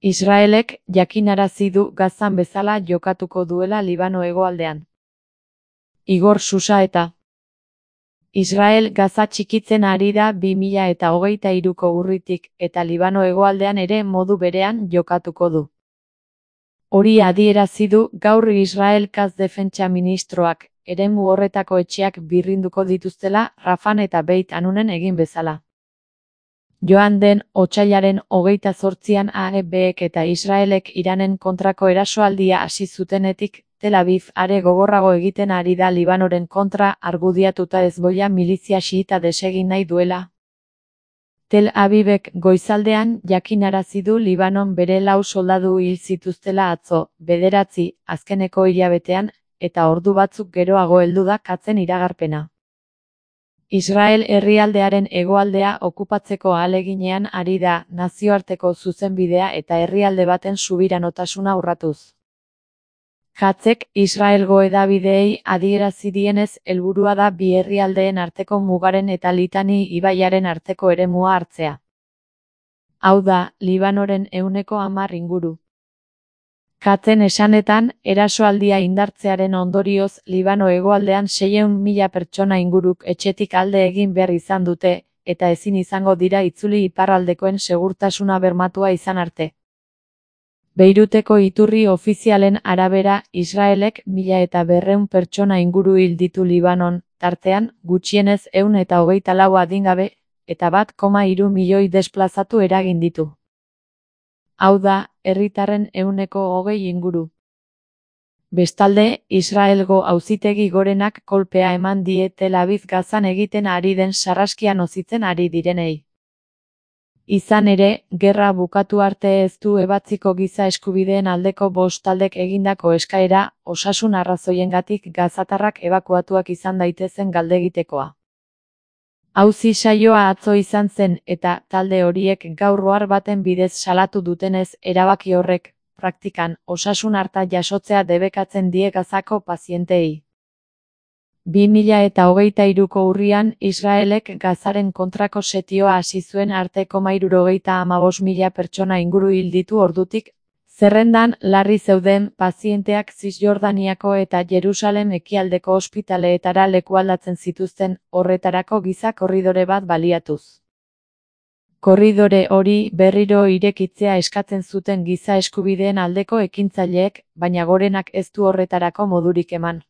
Israelek jakinarazi du Gazan bezala jokatuko duela Libano hegoaldean. Igor Susaeta. Israel Gaza txikitzen ari da 2023ko urritik eta Libano hegoaldean ere modu berean jokatuko du. Hori adierazi du gaur Israel Katz defentsa ministroak, eremu horretako etxeak birrinduko dituztela Rafan eta Beit Hanunen egin bezala. Joan den otsailaren 28an AEBek eta Israelek Iranen kontrako erasoaldia hasi zutenetik, Tel Aviv are gogorrago egiten ari da Libanoren kontra argudiatuta Hezbollah milizia xiita desegin nahi duela. Tel Avivek goizaldean jakinarazi du Libanon bere 4 soldadu hil zituztela atzo, 9, azkeneko hilabetean, eta ordu batzuk geroago heldu da Katzen iragarpena. Israel herrialdearen hegoaldea okupatzeko ahaleginean ari da nazioarteko zuzenbidea eta herrialde baten subiranotasuna urratuz. Katzek Israelgo hedabideei adierazi dienez helburua da bi herrialdeen arteko mugaren eta Litani ibaiaren arteko eremua hartzea. Hau da, Libanoren 10% inguru. Katzen esanetan, erasoaldia indartzearen ondorioz Libano hegoaldean 600.000 pertsona inguruk etxetik alde egin behar izan dute, eta ezin izango dira itzuli iparraldekoen segurtasuna bermatua izan arte. Beiruteko iturri ofizialen arabera, Israelek 1.200 pertsona inguru hil ditu Libanon, tartean, gutxienez 124 adingabe, eta 1,3 milioi desplazatu eragin ditu. Hau da, herritarren 20% inguru. Bestalde, Israelgo auzitegi gorenak kolpea eman die Tel Aviv Gazan egiten ari den sarraskia nozitzen ari direnei. Izan ere, gerra bukatu arte ez du ebatziko giza eskubideen aldeko 5 taldek egindako eskaera, osasun arrazoiengatik gazatarrak ebakuatuak izan daitezen galdegitekoa. Auzi saioa atzo izan zen eta talde horiek gaur ohar baten bidez salatu dutenez erabaki horrek, praktikan, osasun arta jasotzea debekatzen die Gazako pazienteei. 2023ko urrian Israelek Gazaren kontrako setioa hasi zuen arte 175.000 pertsona inguru hil ditu ordutik, zerrendan larri zeuden pazienteak Zisjordaniako eta Jerusalem ekialdeko ospitaleetara lekualdatzen zituzten, horretarako giza korridore bat baliatuz. Korridore hori berriro irekitzea eskatzen zuten giza eskubideen aldeko ekintzaileek, baina gorenak ez du horretarako modurik eman.